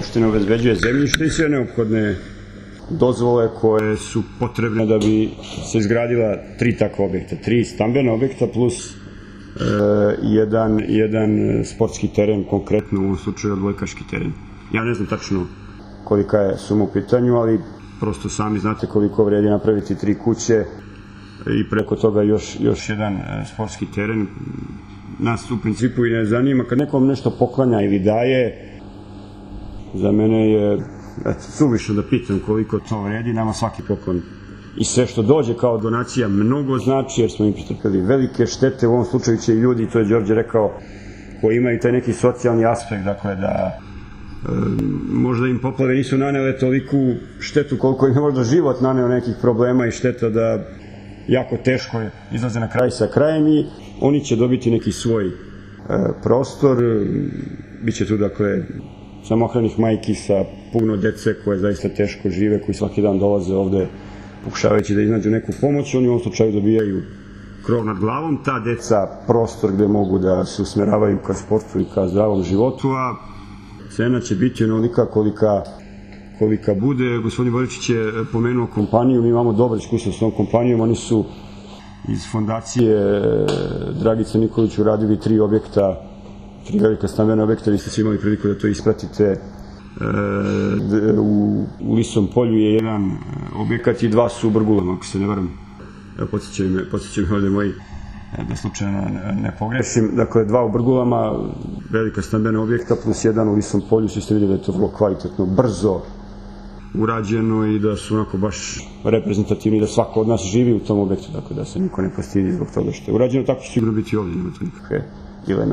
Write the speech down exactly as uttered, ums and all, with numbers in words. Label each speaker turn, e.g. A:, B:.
A: opština obezbeđuje zemljište i sve neophodne dozvole koje su potrebne da bi se izgradila tri takva objekta, tri stambena objekta plus e, jedan, jedan sportski teren, konkretno u ovom slučaju odbojkaški teren. Ja ne znam tačno kolika je suma u pitanju, ali prosto sami znate koliko vredi napraviti tri kuće i preko toga još, još jedan sportski teren. Nas u principu i ne zanima, kad nekom nešto poklanja ili daje, za mene je eto, suvišno da pitam koliko to vredi, nama svaki poklon i sve što dođe kao donacija mnogo znači, jer smo im pretrpeli velike štete, u ovom slučaju će i ljudi, to je Đorđe rekao, koji imaju taj neki socijalni aspekt, dakle da e, možda im poplave nisu nanele toliku štetu koliko im je možda život naneo nekih problema i šteta da jako teško izlaze na kraj sa krajem i oni će dobiti neki svoj e, prostor, biće tu dakle samohranih majki sa puno dece koje zaista teško žive, koji svaki dan dolaze ovde pokušavajući da iznađu neku pomoć, oni u ovom slučaju dobijaju krov nad glavom, ta deca prostor gde mogu da se usmeravaju ka sportu i ka zdravom životu, a cena će biti onolika kolika, kolika bude. Gospodin Boričić je pomenuo kompaniju, mi imamo dobro iskustvo s tom kompanijom, oni su iz fondacije Dragice Nikolić uradili tri objekta, tri velika stambena objekta, vi ste svi imali priliku da to ispratite. E, u, u Lisom polju je jedan objekat i dva su u Brgulama, ako se ne varam. Podsjećaju me, podsjećaju me ovde moji, da slučajno ne pogrešim. Dakle, dva u Brgulama, velika stambena objekta, plus jedan u Lisom polju, svi ste vidjeli da je to vrlo kvalitetno, brzo urađeno i da su onako baš reprezentativni, da svako od nas živi u tom objektu, dakle da se niko ne postidi zbog toga što je urađeno, tako će sigurno biti ovdje, nema to nikakve dileme.